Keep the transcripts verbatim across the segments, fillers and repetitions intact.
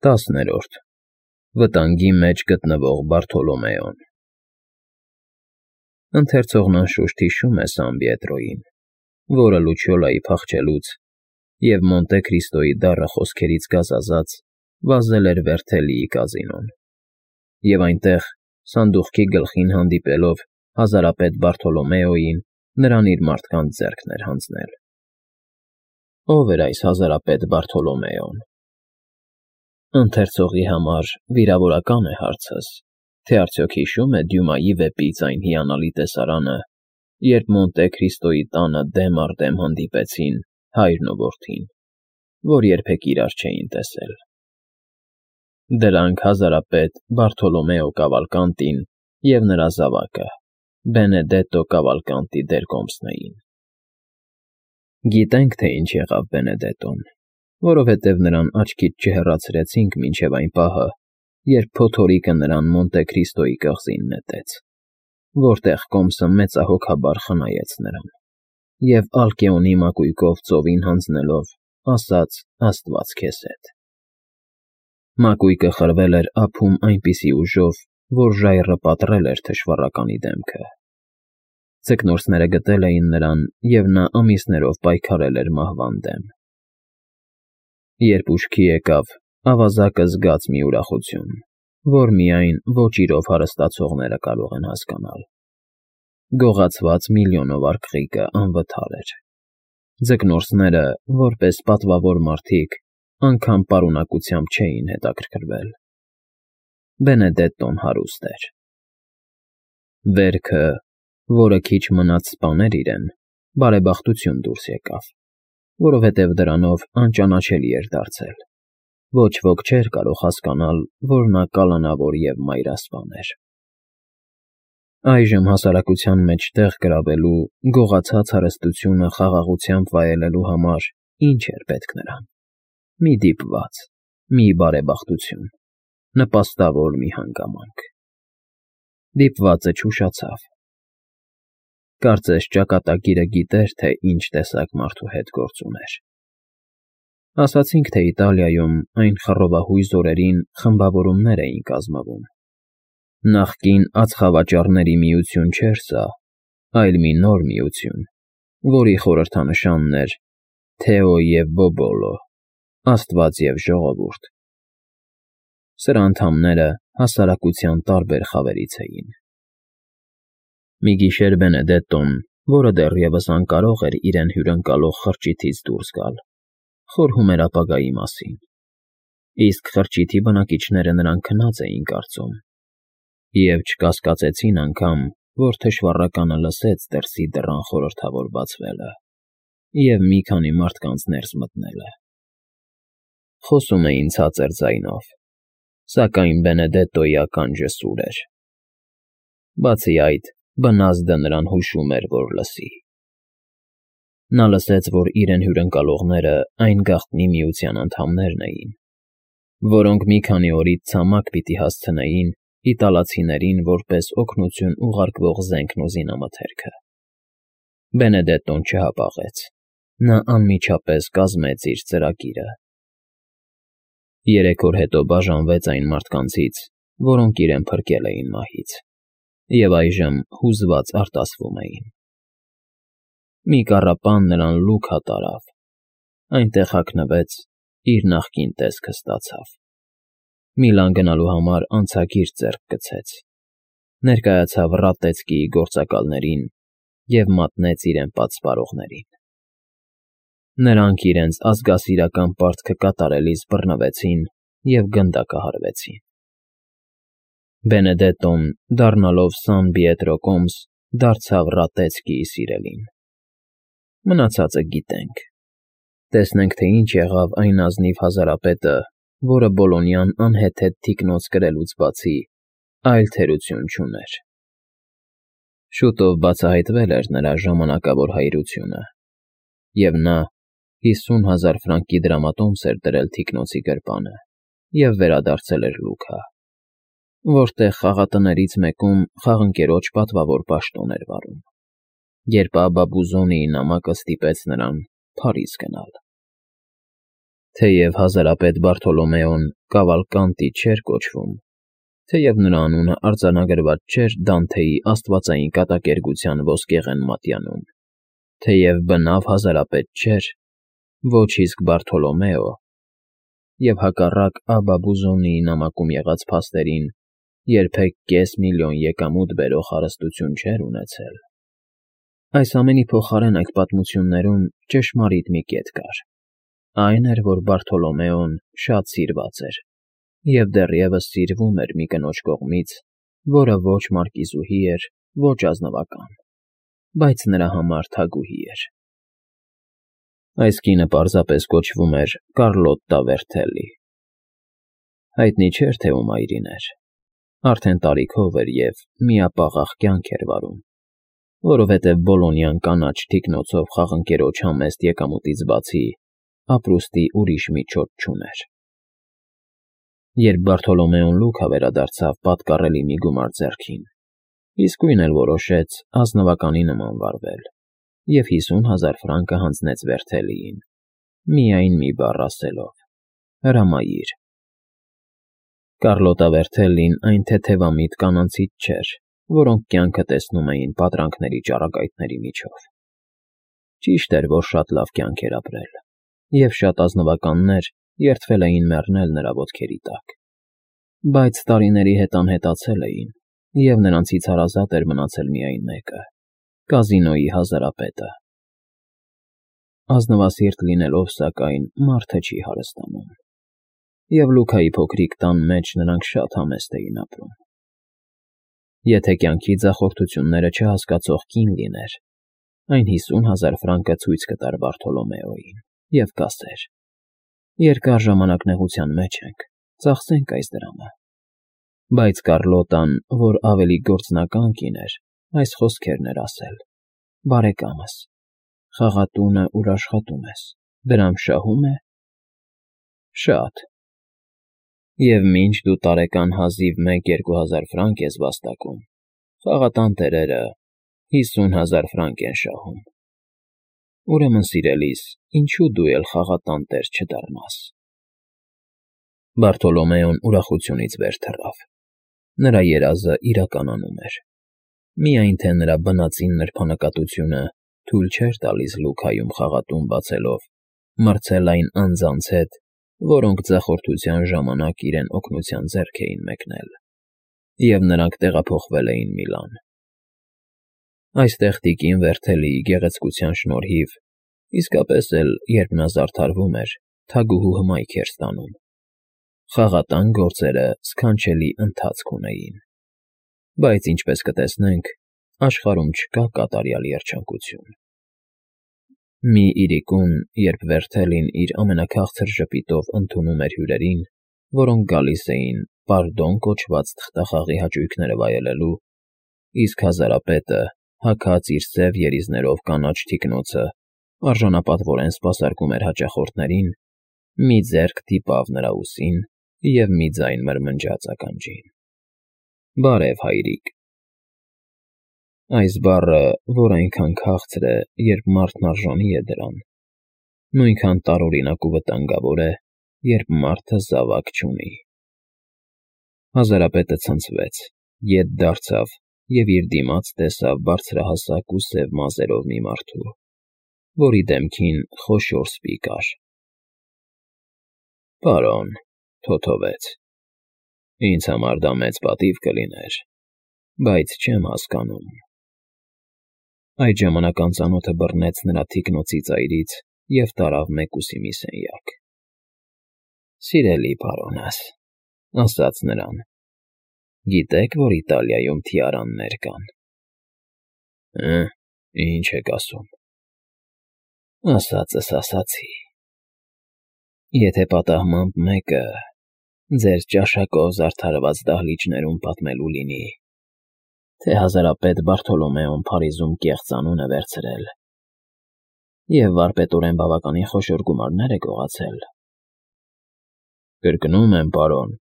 Տասներորդ Վտանգի մեջ գտնվող Բարթոլոմեոն Ընթերցողն անշուշտ հիշում է Սան Պիետրոյին, որը Լուչիոլայի փախչելուց և Մոնտե Քրիստոյի դառը խոսքերից գազազած վազել էր Վերթելիի կազինոն, և այնտեղ, սանդուղքի գլխին հանդիպելով հազարապետ Բարթոլոմեոյին, նրան իր մարդկանց ձեռքն էր հանձնել։ Ո՞վ էր այս հազարապետ Բարթոլոմեոն։ Ընթերցողի համար վիրավորական է հարցս, թե արդյոք հիշում է Դյումայի վեպից այն հիանալի տեսարանը, երբ Մոնտե Քրիստոյի տանը դեմ առ դեմ հանդիպեցին հայրն ու որդին, որ երբեք իրար չէին տեսել։ Դրանք հազարապետ Բարթոլոմեո Կավալկանտին և նրա զավակը՝ Բենեդետտո Կավալկանտի դերկոմսն էին։ Գիտենք, թե ինչ եղավ Բենեդետտոն, որովհետև նրան աչքից չհեռացրեցինք մինչև այն պահը, երբ փոթորիկը նրան Մոնտե Քրիստոյի կղզին նետեց, որտեղ կոմսը մեծահոգաբար խնայեց նրան և Ալկեոնի մակույկով ծովին հանձնելով ասաց. «Աստված քեզ հետ»։ Մակույկը խրվել էր ափում այնպիսի ուժով, որ ժայռը պատռել էր թշվառականի դեմքը։ Ձկնորսները գտել էին նրան, և նա ամիսներով պայքարել էր մահվան դեմ։ Երբ ուշքի եկավ, ավազակը զգաց մի ուրախություն, որ միայն ոչ իրով հարստացողները կարող են հասկանալ։ Գողացված միլիոնով արկղիկը անվթար էր։ Ձկնորսները, որպես պատվավոր մարդիկ, անգամ պարունակությամբ չէին հետաքրքրվել։ Բենեդետտոն հարուստ էր։ Վերքը, որը քիչ մնաց սպաներ իրեն, բարեբախտություն դուրս եկավ, որովհետև դրանով անճանաչելի էր դարձել։ Ոչ ոք չէր կարող հասկանալ, որ նա կալանավոր և մայրասպան էր։ Այժմ հասարակության մեջ տեղ գրավելու, գողացած հարստությունը խաղաղությամբ վայելելու համար ինչ էր պետք նրան։ Մի դիպված, մի բարեբախտություն, նպաստավոր մի հանգամանք։ Դիպվածը չուշացավ։ Կարծես ճակատագիրը գիտեր, թե ինչ տեսակ մարդու հետ գործ ուներ։ Ասացինք, թե Իտալիայում այն խռովահույզ օրերին խմբավորումներ էին կազմվում։ Նախկին ածխավաճառների միություն չէր սա, այլ մի նոր միություն, որի խորհրդանշանն էր Թեո և Բոբոլո, աստված և ժողովուրդ։ Սրա անդամները հասարակության տարբեր խավերից էին։ Մի գիշեր Բենեդետտոն, որը դեռևս անկարող էր իրեն հյուրընկալող խրճիթից դուրս գալ, խորհում էր ապագայի մասին, իսկ խրճիթի բնակիչները նրան քնած էին կարծում և չկասկածեցին անգամ, որ թշվառականը լսեց դրսի դռան խորհրդավոր բացվելը և մի քանի մարդկանց ներս մտնելը։ Խոսում էին ցածր ձայնով, սակայն Բենեդետտոյի ականջը սուր էր։ Բացի այդ, բնազդը նրան հուշում էր, որ լսի։ Նա լսեց, որ իրեն հյուրընկալողները այն գաղտնի միության անդամներն էին, որոնք մի քանի օրից ցամաք պիտի հասցնեին իտալացիներին որպես օգնություն ուղարկվող զենքն ու զինամթերքը։ Բենեդետտոն չհապաղեց։ Նա անմիջապես կազմեց իր ծրագիրը։ Երեք օր հետո բաժանվեց այն մարդկանցից, որոնք իրեն փրկել էին մահից, և այժմ հուզված արտասվում էին։ Մի կառապան նրան Լուքա տարավ, այնտեղ հագնվեց, իր նախկին տեսքը ստացավ։ Միլան գնալու համար անցագիր ձեռք գցեց, ներկայացավ Ռատեցկիի գործակալներին և մատնեց իրեն պատսպարողներին։ Նրանք իրենց ազգասիրական պարտքը կատարելիս բռնվեցին և գնդակահարվեցին։ Բենեդետտոն, դառնալով Սան Պիետրո կոմս, դարձավ Ռատեցկիի սիրելին։ Մնացածը գիտենք։ Տեսնենք, թե ինչ եղավ այն ազնիվ հազարապետը, որը Բոլոնյան անհեթեթ թիկնոց կրելուց բացի այլ թերություն չուներ։ Շուտով բացահայտվել էր նրա ժամանակավոր հայրությունը, և նա հիսուն հազար ֆրանկի դրամատոմս էր դրել թիկնոցի գրպանը և վերադարձել էր Լուքա, որտեղ խաղատներից մեկում խաղընկերոջ պատվավոր պաշտոն էր վարում, երբ Աբա Բուզոնիի նամակը ստիպեց նրան Փարիզ գնալ։ Թեև հազարապետ Բարթոլոմեոն Կավալկանտի չէր կոչվում, թեև նրա անունը արձանագրված չէր Դանթեի աստվածային կատակերգության ոսկեղեն մատյանում, թեև բնավ հազարապետ չէր, ոչ իսկ Բարթոլոմեո, և հակառակ Աբբա Բուզոնիի նամակում եղած փաստերին երբեք կես միլիոն եկամուտ բերող հարստություն չէր ունեցել։ Այս ամենի փոխարեն այդ պատմություններում ճշմարիտ մի կետ կար. այն էր, որ Բարթոլոմեոն շատ սիրված էր և դեռևս սիրվում էր մի կնոջ կողմից, որը ոչ մարկիզուհի էր, ոչ ազնվական, բայց նրա համար թագուհի էր։ Այս կինը պարզապես կոչվում էր Կարլոտտա Վերթելի։ Հայտնի չէր, թե ում այրին էր, արդեն տարիքով էր և միապաղաղ կյանք էր վարում, որովհետև Բոլոնյան կանաչ թիկնոցով խաղընկերոջ համեստ եկամուտից բացի ապրուստի ուրիշ միջոց չուներ։ Երբ Բարթոլոմեոն լուքա վերադարձավ պատկառելի մի գումար ձեռքին, իսկույն էլ որոշեց ազնվականի նման վարվել և հիսուն հազար ֆրանկը հանձնեց Վերթելիին, միայն մի բառ ասելով. «Հրամայիր»։ Կարլոտտա Վերթելին այն թեթևամիտ կանանցից չէր, որոնք կյանքը տեսնում էին պատրանքների ճառագայթների միջով։ Ճիշտ էր, որ շատ լավ կյանք էր ապրել, և շատ ազնվականներ երդվել էին մեռնել նրա ոտքերի տակ, բայց տարիների հետ անհետացել էին, և նրանցից հարազատ էր մնացել միայն մեկը՝ կազինոյի հազարապետը։ Ազնվասիրտ լինելով, սակայն, մարդը չի հարստանում, և Լուքայի փոքրիկ տան մեջ նրանք շատ համեստ էին ապրում։ Եթե կյանքի ձախորդությունները չհասկացող կին լիներ, այն հիսուն հազար ֆրանկը ցույց կտար Բարթոլոմեոյին և կասեր. «Երկար ժամանակ նեղության մեջ ենք, ծախսենք այս դրամը»։ Բայց Կարլոտտան, որ ավելի գործնական կին էր, այս խոսքերն էր ասել. «Բարեկամս, խաղատունը, ուր աշխատում ես, դրամ շահո՞ւմ է»։ «Շատ»։ «Եվ մինչ դու տարեկան հազիվ մեկ֊երկու հազար ֆրանկ ես վաստակում, խաղատան տերերը հիսուն հազար ֆրանկ են շահում։ Ուրեմն, սիրելիս, ինչո՞ւ դու էլ խաղատան տեր չդառնաս»։ Բարթոլոմեոն ուրախությունից վեր թռավ։ Նրա երազը իրականանում էր, միայն թե նրա բնածին նրբանկատությունը թույլ չէր տալիս Լուքայում խաղատուն բացելով մրցել այն անձանց հետ, որոնք ձախորդության ժամանակ իրեն օգնության ձեռք էին մեկնել, և նրանք տեղափոխվել էին Միլան։ Այստեղ տիկին Վերթելիի գեղեցկության շնորհիվ, իսկապես էլ, երբ նա զարդարվում էր, թագուհու հմայք էր ստանում։ Խաղատան գործերը սքանչելի ընթացք ունեին, բայց, ինչպես կտեսնենք, աշխարհում չկա կատարյալ երջանկություն։ Մի իրիկուն, երբ Վերթելին իր ամենաքաղցր ժպիտով ընդունում էր հյուրերին, որոնք գալիս էին պարդոն կոչված թղթախաղի հաճույքները վայելելու, իսկ հազարապետը, հագած իր սև երիզներով կանաչ թիկնոցը, արժանապատվորեն սպասարկում էր հաճախորդներին, մի ձեռք դիպավ նրա ուսին և մի ձայն մրմնջաց ականջին. «Բարև, հայրիկ»։ Այս բառը, որ այնքան քաղցր է, երբ մարդն արժանի է դրան, նույնքան տարօրինակ ու վտանգավոր է, երբ մարդը զավակ չունի։ Հազարապետը ցնցվեց, ետ դարձավ և իր դիմաց տեսավ բարձրահասակ ու սև մազերով մի մարդու, որի դեմքին խոշոր սպի կար։ «Պարոն», թոթովեց, «ինձ համար դա մեծ պատիվ կլիներ, բայց չեմ հասկանում»։ Այդ ժամանակ անծանոթը բռնեց նրա թիկնոցի ծայրից և տարավ մեկուսի մի սենյակ։ «Սիրելի պարոնս», ասաց նրան, «գիտեք, որ Իտալիայում թիարաններ կան»։ «Հը՞, ինչ եք ասում»։ «Ասածս ասացի։ Եթե պատահմամբ մեկը ձեր ճաշակով զարդարված դահլիճներում պատմելու լինի, թե հազարապետ Բարթոլոմեոն Փարիզում կեղծ անուն է վերցրել և վարպետորեն բավականին խոշոր գումարներ է գողացել։ Կրկնում եմ, պարոն,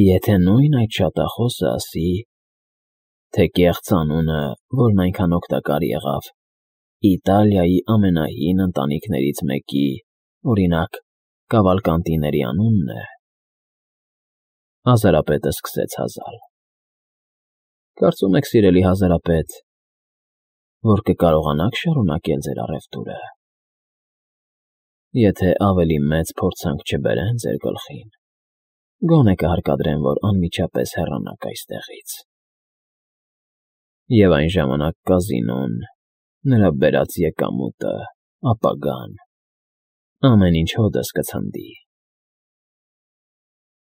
եթե նույն այդ շատախոսը ասի, թե կեղծ անունը, որն այնքան օգտակար եղավ Իտալիայի ամենահին ընտանիքներից մեկի, օրինակ, Կավալկանտիների անունն է… Հազարապետը սկսեց հազալ. Կարծում եք, սիրելի հազարապետ, որ կկարողանաք շարունակել ձեր առևտուրը, եթե ավելի մեծ փորձանք չբերեն ձեր գլխին, գոնե կհարկադրեմ, որ անմիջապես հեռանաք այստեղից, և այն ժամանակ կազինոն, նրա բերած եկամուտը, ապագան, ամեն ինչ հօդս կցնդի։